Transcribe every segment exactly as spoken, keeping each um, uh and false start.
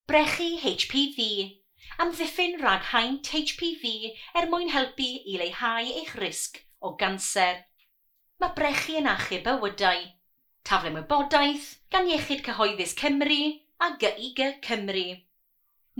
Brechu H P V. Amddiffyn rhag haint H P V er mwyn helpu i leihau eich risg o ganser. Mae brechu yn achub bywydau. Taflen wybodaeth gan Iechyd Cyhoeddus Cymru a G I G Cymru.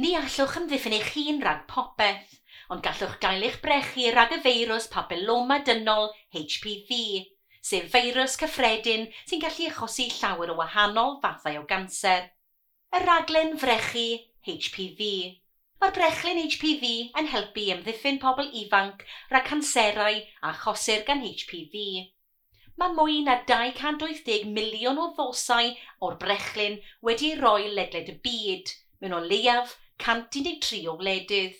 Ni allwch amddiffyn eich hun rhag popeth, ond gallwch gael eich brechu rhag y feirws papilloma dynol H P V, sef feirws cyffredin sy'n gallu achosi llawer o wahanol fathau o ganser. Y rhaglen frechu H P V. Mae'r brechlyn H P V yn helpu i amddiffyn pobl ifanc rhag canserau a achosir gan H P V. Mae mwy na dau cant wyth deg miliwn o ddosau o'r brechlyn wedi ei roi ledled y byd, mewn o leiaf cant un deg tri o wledydd.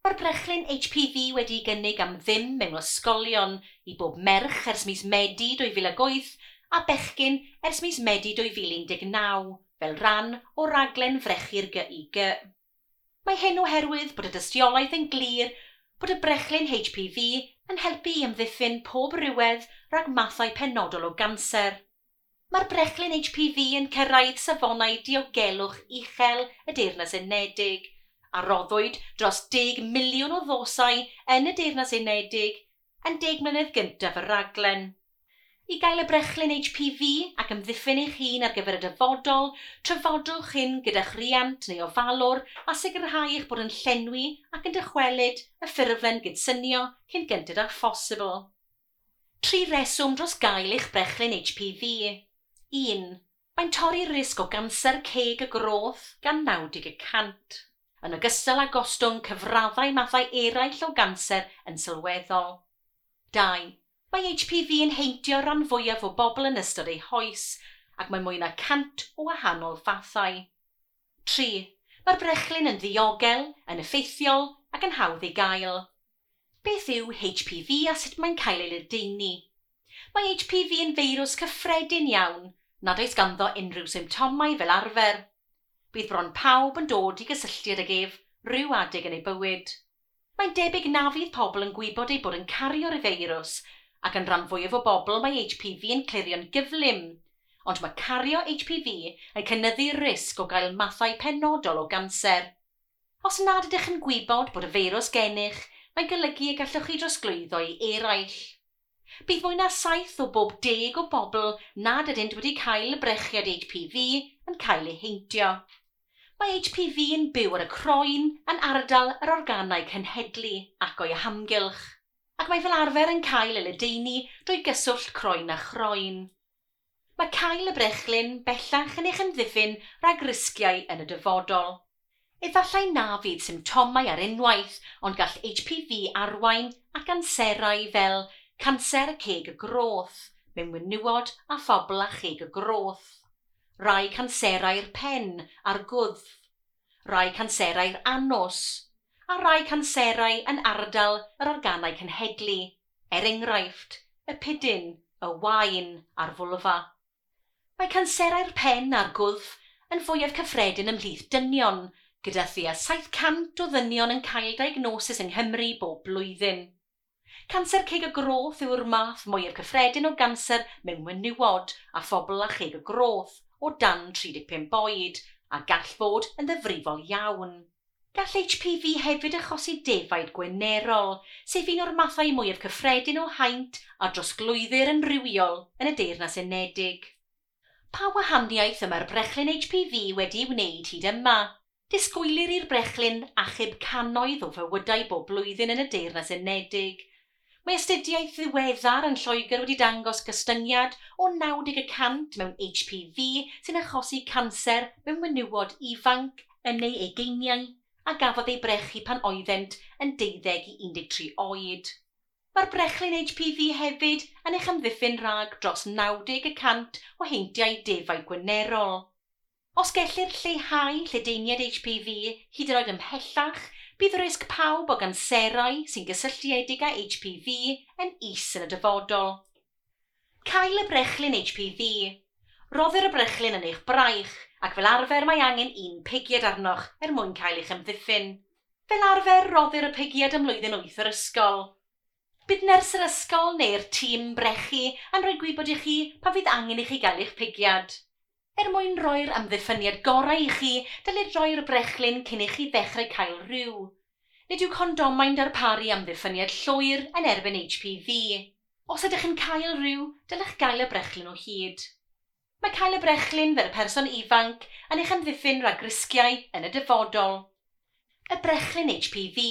Mae'r brechlyn H P V wedi'i gynnig am ddim mewn ysgolion i bob merch ers mis Medi dwy fil ag wyth a bechgyn ers mis Medi dwy fil un deg naw, fel rhan o raglen frechu'r G I G. Mae hyn oherwydd bod y dystiolaeth yn glir bod y brechlyn H P V yn helpu i amddiffyn pob rhywedd rhag mathau penodol o ganser. Mae'r brechlyn H P V yn cyrraedd safonau diogelwch uchel y Deyrnas Unedig, a roddwyd dros deg miliwn o ddosau yn y Deyrnas Unedig yn deg mlynedd gyntaf y rhaglen. I gael y brechlyn H P V ac amddiffyn eich hun ar gyfer y dyfodol, trafodwch hyn gyda'ch rhiant neu ofalwr a sicrhau eich bod yn llenwi ac yn dychwelyd y ffurflen gydsynio cyn gynted â phosibl. Tri reswm dros gael eich brechlyn H P V. Un. Mae'n torri'r risg o ganser ceg y groth gan naw deg y cant, yn ogystal â gostwng cyfraddau mathau eraill o ganser yn sylweddol. Dau. Mae H P V yn heintio rhan fwyaf o bobl yn ystod eu hoes, ac mae mwy na cant o wahanol fathau. Tri. Mae'r brechlyn yn ddiogel, yn effeithiol ac yn hawdd ei gael. Beth yw H P V a sut mae'n cael ei ledaenu? Mae H P V yn feirws cyffredin iawn, nad oes ganddo unrhyw symptomau fel arfer. Bydd bron pawb yn dod i gysylltiad ag ef rhyw adeg yn ei bywyd. Mae'n debyg na fydd pobl yn gwybod eu bod yn cario'r feirws, ac yn rhan fwyaf o bobl mae H P V yn clirio'n gyflym, ond mae cario H P V yn cynyddu'r risg o gael mathau penodol o ganser. Os nad ydych yn gwybod bod y feirws gennych, mae'n golygu y gallwch chi drosglwyddo i eraill. Bydd mwy na saith o bob deg o bobl nad ydynt wedi cael y brechiad H P V yn cael eu heintio. Mae H P V yn byw ar y croen yn ardal yr organau cenhedlu ac o'i hamgylch, ac mae fel arfer yn cael ei ledaenu drwy gyswllt croen a chroen. Mae cael y brechlyn bellach yn eich amddiffyn rhag risgiau yn y dyfodol. Efallai na fydd symptomau ar unwaith, ond gall H P V arwain at ganserau fel canser ceg y groth, mewn menywod a phobl â cheg y groth, rai canserau'r pen a'r gwddf, rai canserau'r anws, a rai canserau yn ardal yr organau cenhedlu, er enghraifft, y pidyn, y waen a'r fwlfa. Mae canserau'r pen a'r gwddf yn fwyaf cyffredin ymhlith dynion, gyda thua saith cant o ddynion yn cael diagnosis yng Nghymru bob blwyddyn. Canser ceg y groth yw'r math mwyaf cyffredin o ganser mewn menywod a phobl â cheg y groth o dan tri deg pump oed, a gall fod yn ddifrifol iawn. Gall H P V hefyd achosi defaid gwenerol, sef un o'r mathau mwyaf cyffredin o haint a drosglwyddir yn rhywiol yn y Deyrnas Unedig. Pa wahaniaeth y mae'r brechlyn H P V wedi'i wneud hyd yma? Disgwylir i'r brechlyn achub cannoedd o fywydau bob blwyddyn yn y Deyrnas Unedig. Mae astudiaeth ddiweddar yn Lloegr wedi dangos gostyngiad o naw deg y cant mewn H P V sy'n achosi canser mewn menywod ifanc yn ei ugeiniau a gafodd ei brechu pan oeddent yn deuddeg i un deg tri oed. Mae'r brechlyn H P V hefyd yn eich amddiffyn rhag dros naw deg y cant o heintiau defaid gwenerol. Os gellir lleihau lledaeniad H P V hyd yn oed ymhellach, bydd risg pawb o ganserau sy'n gysylltiedig â H P V yn is yn y dyfodol. Cael y brechlyn H P V. Roddir y brechlyn yn eich braich, ac fel arfer mae angen un pigiad arnoch er mwyn cael eich amddiffyn. Fel arfer roddir y pigiad ym mlwyddyn wyth yr ysgol. Bydd nyrs yr ysgol neu'r tîm brechu yn rhoi gwybod i chi pan fydd angen i chi gael eich pigiad. Er mwyn rhoi'r amddiffyniad gorau i chi, dylid rhoi'r brechlyn cyn i chi ddechrau cael rhyw. Nid yw condomau'n darparu amddiffyniad llwyr yn erbyn H P V. Os ydych yn cael rhyw, dylech gael y brechlyn o hyd. Mae cael y brechlyn fel person ifanc yn eich amddiffyn rhag risgiau yn y dyfodol. Y brechlyn H P V.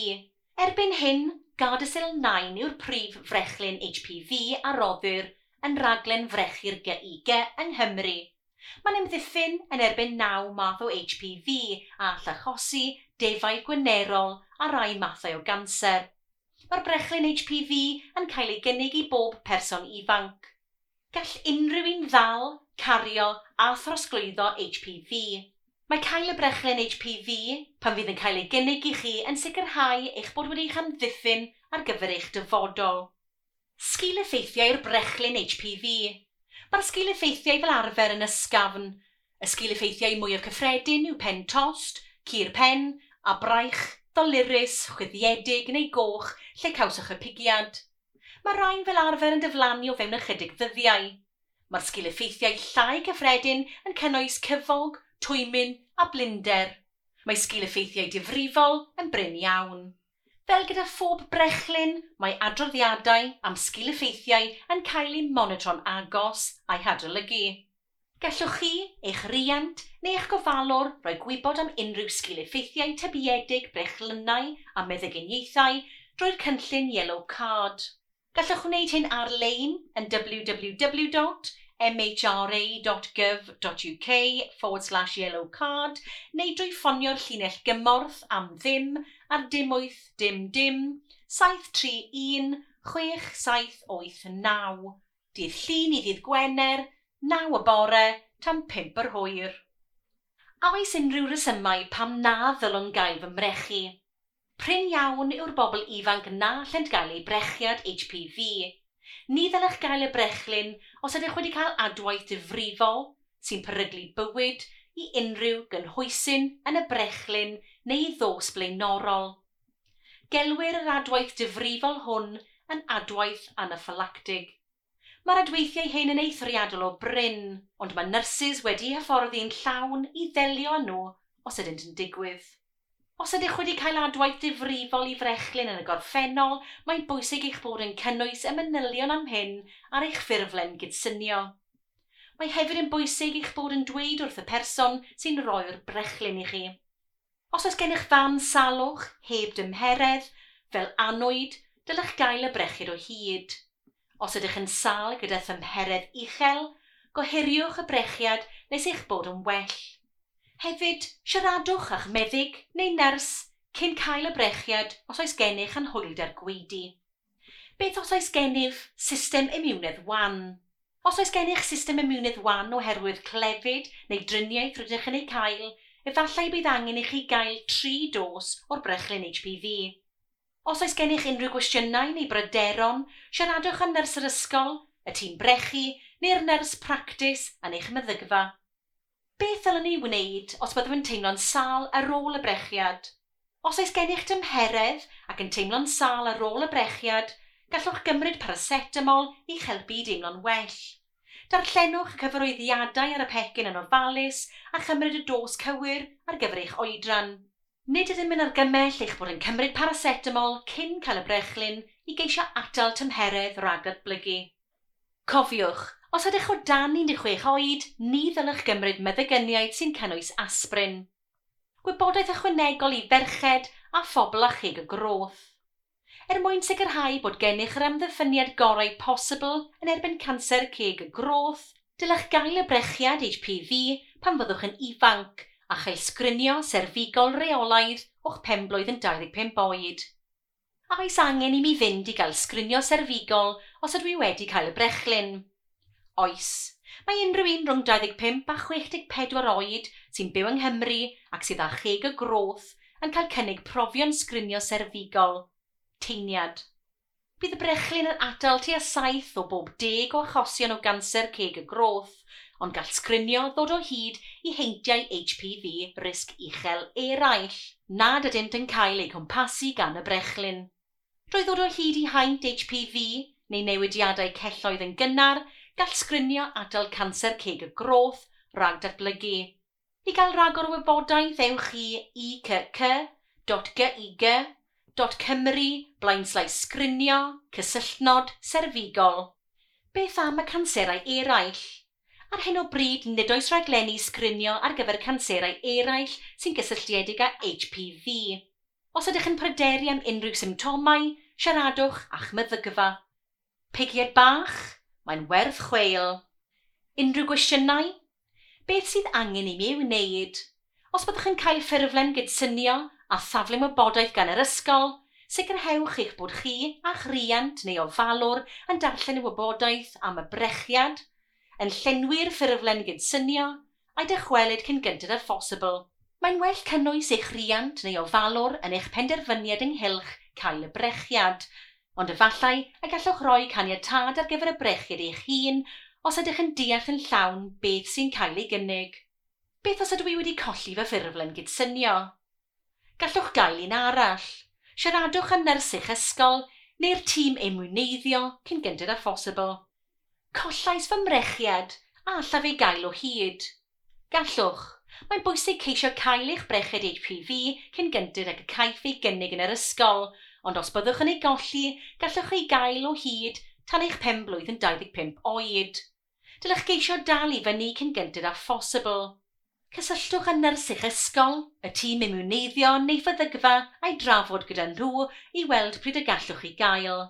Erbyn hyn, Gardasil nine yw'r prif frechlyn H P V a roddir yn raglen frechu'r G I G yng Nghymru. Mae'n amddiffyn yn erbyn naw math o H P V a all achosi defaid gwenerol a rai mathau o ganser. Mae'r brechlyn H P V yn cael ei gynnig i bob person ifanc. Gall unrhyw un ddal, cario a throsglwyddo H P V. Mae cael y brechlyn H P V pan fydd yn cael ei gynnig i chi yn sicrhau eich bod wedi eich amddiffyn ar gyfer eich dyfodol. Sgil-effeithiau'r brechlyn H P V. Mae'r sgil-effeithiau fel arfer yn ysgafn. Y sgil-effeithiau mwyaf cyffredin yw pen tost, cur pen a braich, ddolurus, chwyddiedig neu goch lle cawsoch y pigiad. Mae rhain fel arfer yn diflannu o fewn ychydig ddyddiau. Mae'r sgil-effeithiau llai cyffredin yn cynnwys cyfog, twymyn a blinder. Mae sgil-effeithiau difrifol yn brin iawn. Fel gyda phob brechlyn, mae adroddiadau am sgil-effeithiau yn cael eu monitro'n agos a'u hadolygu. Gallwch chi, eich riant neu eich gofalwr roi gwybod am unrhyw sgil-effeithiau tybiedig brechlynnau a meddyginiaethau drwy'r cynllun Yellow Card. Gallwch wneud hyn ar-lein yn w w w dot m h r a dot gov dot u k forward slash yellow card neu drwy ffonio'r llinell gymorth am ddim ar dim wyth dim dim saith tri un chwech saith wyth naw. Dydd Llun i ddydd Gwener, naw y bore tan pump yr hwyr. A oes unrhyw resymau pam na ddylwn gael fy mrechu? Prin iawn yw'r bobl ifanc na allent gael eu brechiad H P V. Ni ddylech gael y brechlyn os ydych wedi cael adwaith difrifol sy'n peryglu bywyd i unrhyw gynhwysyn yn y brechlyn neu ddos blaenorol. Gelwir yr adwaith difrifol hwn yn adwaith anaffylactig. Mae'r adweithiau hyn yn eithriadol o brin, ond mae nyrsys wedi hyfforddi'n llawn i ddelio â nhw os ydynt yn digwydd. Os ydych wedi cael adwaith difrifol i frechlyn yn y gorffennol, mae'n bwysig eich bod yn cynnwys y manylion am hyn ar eich ffurflen gydsynio. Mae hefyd yn bwysig eich bod yn dweud wrth y person sy'n rhoi'r brechlyn i chi. Os oes gennych fan salwch heb dymheredd, fel annwyd, dylech gael y brechiad o hyd. Os ydych yn sâl gyda thymheredd uchel, gohiriwch y brechiad nes eich bod yn well. Hefyd, siaradwch â'ch meddyg neu nyrs cyn cael y brechiad os oes gennych anhwylder gwaedu. Beth os oes gennyf system imiwnedd wan? Os oes gennych system imiwnedd wan oherwydd clefyd neu driniaeth rydych yn ei cael, efallai bydd angen i chi gael tri dos o'r brechlyn H P V. Os oes gennych unrhyw gwestiynau neu bryderon, siaradwch â nyrs yr ysgol, y tîm brechu neu'r nyrs practis yn eich meddygfa. Beth ddylwn ni wneud os byddwn yn teimlo'n sâl ar ôl y brechiad? Os oes gennych dymheredd ac yn teimlo'n sâl ar ôl y brechiad, gallwch gymryd paracetamol i'ch helpu i deimlo'n well. Darllenwch y cyfarwyddiadau ar y pecyn yn ofalus a chymryd y dos cywir ar gyfer eich oedran. Nid ydym yn argymell eich bod yn cymryd paracetamol cyn cael y brechlyn i geisio atal tymheredd rhag datblygu. Cofiwch, os ydych o dan un deg chwech oed, ni ddylech gymryd meddyginiaeth sy'n cynnwys aspirin. Gwybodaeth ychwanegol i ferched a phobl â cheg y groth. Er mwyn sicrhau bod gennych yr amddiffyniad gorau posibl yn erbyn canser ceg y groth, dylech gael y brechiad H P V pan fyddwch yn ifanc a chael sgrinio serfigol reolaidd o'ch penblwydd yn dau ddeg pump oed. A oes angen i mi fynd i gael sgrinio serfigol os ydw i wedi cael y brechlyn? Oes. Mae unrhyw un rhwng dau ddeg pump a chwech deg pedwar oed sy'n byw yng Nghymru ac sydd â cheg y groth yn cael cynnig profion sgrinio serfigol. Teiniad. Bydd y brechlyn yn atal tua saith o bob deg o achosion o ganser ceg y groth, ond gall sgrinio ddod o hyd i heintiau H P V risg uchel eraill, nad ydynt yn cael eu cwmpasu gan y brechlyn. Drwy ddod o hyd i haint H P V neu newidiadau celloedd yn gynnar, gall sgrinio atal canser ceg y groth rhag datblygu. I gael rhagor o wybodaeth, ewch i I C C dot G I G dot Cymru blaenslaes sgrinio cysylltnod serfigol. Beth am y canserau eraill? Ar hyn o bryd, nid oes rhaglenni sgrinio ar gyfer canserau eraill sy'n gysylltiedig â H P V. Os ydych yn pryderu am unrhyw symptomau, siaradwch â'ch meddygfa. Pigiad bach? Mae'n werth chweil. Unrhyw gwestiynau? Beth sydd angen i mi ei wneud? Os byddwch yn cael ffurflen gydsynio a thaflen wybodaeth gan yr ysgol, sicrhewch eich bod chi a'ch rhiant neu ofalwr yn darllen y wybodaeth am y brechiad, yn llenwi'r ffurflen gydsynio a'i dychwelyd cyn gynted â phosibl. Mae'n well cynnwys eich rhiant neu ofalwr yn eich penderfyniad ynghylch cael y brechiad, ond efallai y gallwch roi caniatâd ar gyfer y brechiad eich hun os ydych yn deall yn llawn beth sy'n cael ei gynnig. Beth os ydw i wedi colli fy ffurflen gydsynio? Gallwch gael un arall. Siaradwch â nyrs eich ysgol neu'r tîm imwneiddio cyn gynted â phosibl. Collais fy mrechiad, a allaf ei gael o hyd? Gallwch. Mae'n bwysig ceisio cael eich brechiad H P V cyn gynted ag y caiff ei gynnig yn yr ysgol, ond os byddwch yn ei golli, gallwch ei gael o hyd tan eich pen-blwydd yn dau ddeg pump oed. Dylech geisio dal i fyny cyn gynted â phosibl. Cysylltwch â nyrs eich ysgol, y tîm imiwneiddio neu feddygfa a'i drafod gyda nhw i weld pryd y gallwch chi gael.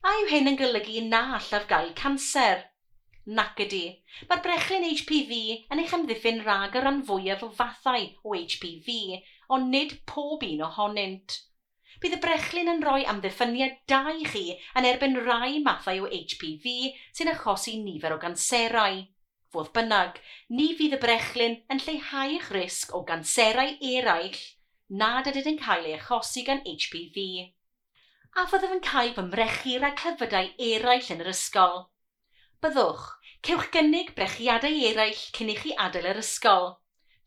A yw hyn yn golygu na allaf gael canser? Nac ydy. Mae'r brechlyn H P V yn eich amddiffyn rhag y rhan fwyaf o fathau o H P V, ond nid pob un ohonynt. Bydd y brechlyn yn rhoi amddiffyniad da i chi yn erbyn rai mathau o H P V sy'n achosi nifer o ganserau. Fodd bynnag, ni fydd y brechlyn yn lleihau eich risg o ganserau eraill nad ydynt yn cael ei achosi gan H P V. A fyddaf yn cael fy mrechu rhag clefydau eraill yn yr ysgol? Byddwch. Cewch gynnig brechiadau eraill cyn i chi adael yr ysgol,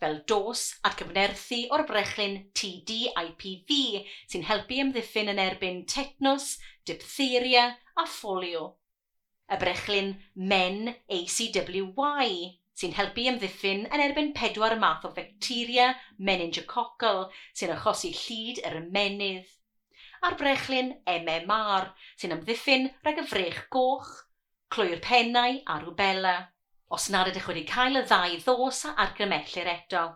fel dos atgyfnerthu o'r brechlyn T D I P V sy'n helpu amddiffyn yn erbyn tetanws, diphtheria a pholio. Y brechlyn Men A C W Y sy'n helpu amddiffyn yn erbyn pedwar math o facteria meningococcal sy'n achosi llid yr ymennydd. A'r brechlyn M M R sy'n amddiffyn rhag y frech goch, clwy'r pennau a rwbela, os nad ydych wedi cael y ddau ddos a argymhellir eto.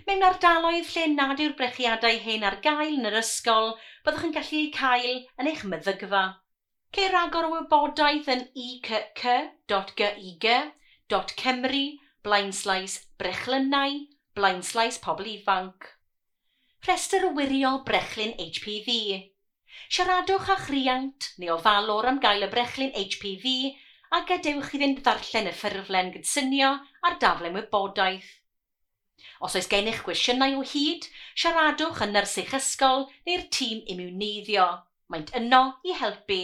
Mewn ardaloedd lle nad yw'r brechiadau hyn ar gael yn yr ysgol, byddwch yn gallu eu cael yn eich meddygfa. Ceir ragor o wybodaeth yn I C C dot G I G dot Cymru blaenslaes brechlynnau blaenslaes pobl ifanc. Rhestr wirio brechlyn H P V. Siaradwch â'ch rhiant neu ofalwr am gael y brechlyn H P V a gadewch iddynt ddarllen y ffurflen gydsynio a'r daflen wybodaeth. Os oes gennych gwestiynau o hyd, siaradwch â nyrs eich ysgol neu'r tîm imiwneiddio. Maent yno i helpu.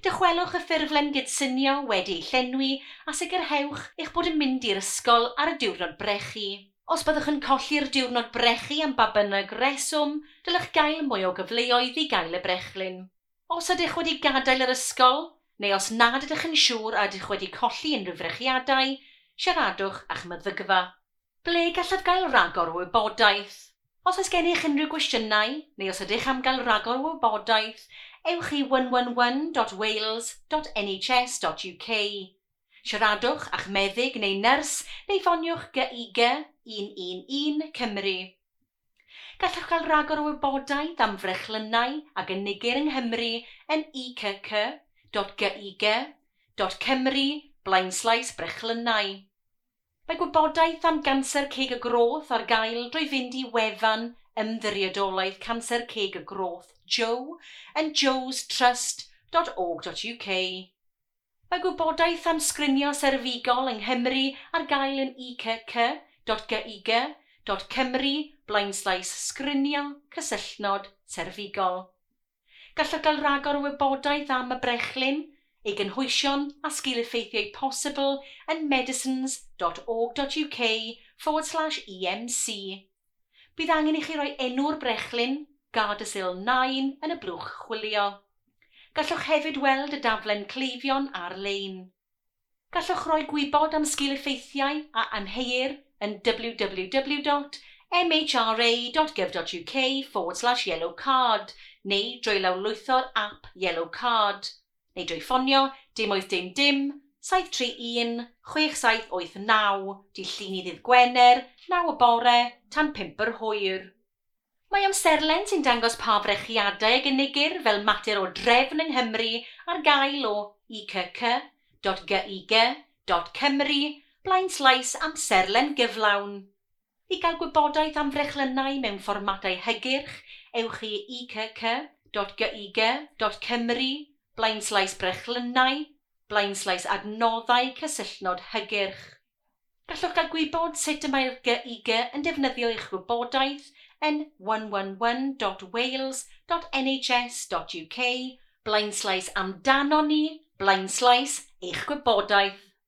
Dychwelwch y ffurflen gydsynio wedi ei llenwi a sicrhewch eich bod yn mynd i'r ysgol ar y diwrnod brechu. Os byddwch yn colli'r diwrnod brechu am ba bynnag reswm, dylech gael mwy o gyfleoedd i gael y brechlyn. Os ydych wedi gadael yr ysgol, neu os nad ydych yn siŵr a ydych wedi colli unrhyw frechiadau, siaradwch â'ch meddygfa. Ble gallaf gael ragor o wybodaeth? Os oes gennych unrhyw gwestiynau, neu os ydych am gael ragor o wybodaeth, ewch i one one one dot wales dot N H S dot U K. Siaradwch â'ch meddyg neu nyrs neu ffoniwch G I G un un un Cymru. Gallwch gael ragor o wybodaeth am frechlynnau a gynigir yng Nghymru yn I C C dot G I G dot Cymru blaenslaes brechlynnau. Mae gwybodaeth am ganser ceg y groth ar gael drwy fynd i wefan Ymddiriedolaeth Canser Ceg y Groth Joe yn joestrust dot org dot U K. Mae gwybodaeth am sgrinio serfigol yng Nghymru ar gael yn I C C dot G I G dot Cymru blaenslaes sgrinio cysylltnod serfigol. Gallwch gael ragor o wybodaeth am y brechlyn, ei gynhwysion a sgil-effeithiau posibl yn medicines dot org dot U K forward slash E M C. Bydd angen i chi roi enw'r brechlyn, Gardasil nine, yn y blwch chwilio. Gallwch hefyd weld y daflen cleifion ar-lein. Gallwch roi gwybod am sgil-effeithiau a amheuir yn w w w dot m h r a dot gov dot u k forward slash yellow card neu drwy lawrlwytho'r app Yellow Card neu drwy ffonio dim wyth dim dim, saith tri un, chwech saith wyth naw, dydd Llun i ddydd Gwener, naw y bore tan pump yr hwyr. Mae amserlen sy'n dangos pa frechiadau a gynigir fel mater o drefn yng Nghymru ar gael o i c c dot g i g dot cymru blaenslaes amserlen gyflawn. I gael gwybodaeth am frechlynnau mewn fformatau hygyrch, ewch i i c c dot g i g dot cymru blaenslaes brechlynnau, blaenslaes adnoddau cysylltnod hygyrch. Gallwch gael gwybod sut y mae'r G I G yn defnyddio eich gwybodaeth yn one one one dot wales dot N H S dot U K blaenslaes amdano ni, blaenslaes eich gwybodaeth.